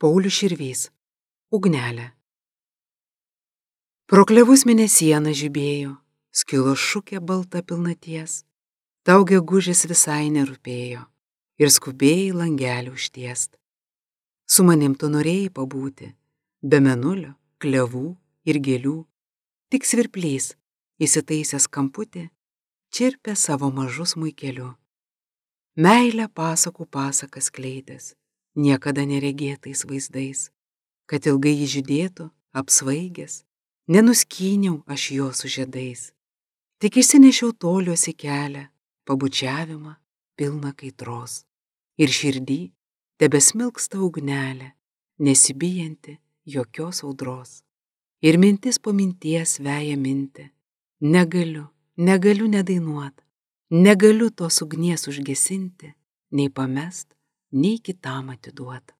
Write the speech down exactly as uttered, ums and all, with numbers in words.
Paulius Širvys. Ugnelė. Pro klevus mėnesiena žibėjo, skilo šukė balta pilnaties, tau gegužės visai nerūpėjo ir skubėjai langelį užtiest. Su manim tu norėjai pabūti, be mėnulio, klevų ir gėlių, tik svirplys, įsitaisęs kamputį, čirpė savo mažu smuikeliu. Meilę pasakų pasakas kleidęs, niekada neregėtais vaizdais, kad ilgai jį žydėtų, apsvaigęs, nenuskyniau aš jo su žiedais, tik išsinešiau toliuosi kelią, pabučiavimą pilną kaitros, ir širdį tebesmilksta ugnelė, nesibijanti jokios audros. Ir mintis po minties veja mintį, negaliu, negaliu nedainuot, negaliu tos ugnies užgesinti, nei pamest, nei kitam atiduot.